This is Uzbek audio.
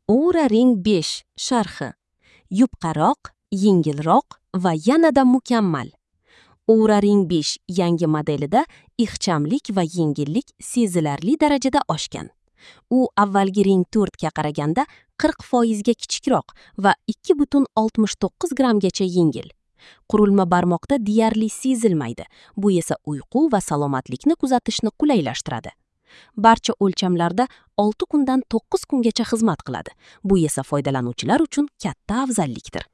Oura Ring 5 sharhi. Yupqaroq, yengilroq va yanada mukammal. Oura Ring 5 yangi modelida ixchamlik va yengillik sezilarli darajada oshgan. U avvalgi Ring 4 ga qaraganda 40% ga kichikroq va 2,69 grammgacha yengil. Qurilma barmoqda deyarli sezilmaydi. Bu esa uyqu va salomatlikni kuzatishni qulaylashtiradi. Barcha o'lchamlarda 6 kundan 9 kungacha xizmat qiladi. Bu esa foydalanuvchilar uchun katta afzallikdir.